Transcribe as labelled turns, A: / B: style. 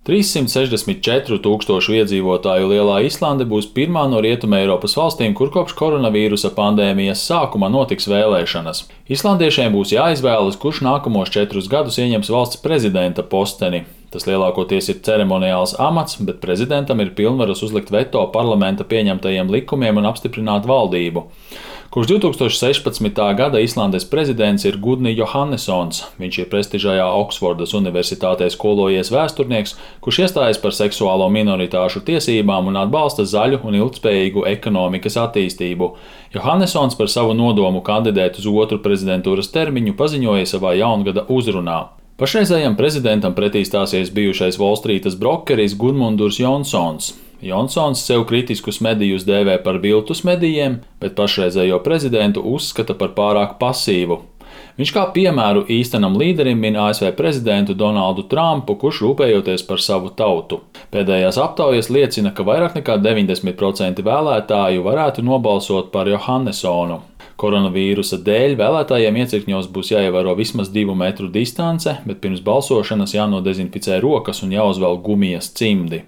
A: 364,000 iedzīvotāju lielā Islande būs pirmā no Rietumē Eiropas valstīm, kur kopš koronavīrusa pandēmijas sākuma notiks vēlēšanas. Islandiešiem būs jāizvēlas, kurš nākamos 4 gadus ieņems valsts prezidenta posteni. Tas lielākoties ir ceremoniāls amats, bet prezidentam ir pilnvaras uzlikt veto parlamenta pieņemtajiem likumiem un apstiprināt valdību. Kopš 2016. gada Islandes prezidents ir Gudni Johannessons. Viņš ir prestižajā Oksfordas universitātē skolojies vēsturnieks, kurš iestājas par seksuālo minoritāšu tiesībām un atbalsta zaļu un ilgtspējīgu ekonomikas attīstību. Johannessons par savu nodomu kandidēt uz otru prezidentūras termiņu paziņoja savā jaungada uzrunā. Pašreizējam prezidentam pretī stāsies bijušais Volstrītas brokeris Gudmunds Jonsons. Jonsons sev kritiskus medijus dēvē par viltus medijiem, bet pašreizējo prezidentu uzskata par pārāk pasīvu. Viņš kā piemēru īstenam līderim min ASV prezidentu Donaldu Trumpu, kurš rūpējoties par savu tautu. Pēdējās aptaujas liecina, ka vairāk nekā 90% vēlētāju varētu nobalsot par Johannessonu. Koronavīrusa dēļ vēlētājiem iecirkņos būs jāievēro vismaz 2 metru distance, bet pirms balsošanas jānodezinficē rokas un jāuzvelk gumijas cimdi.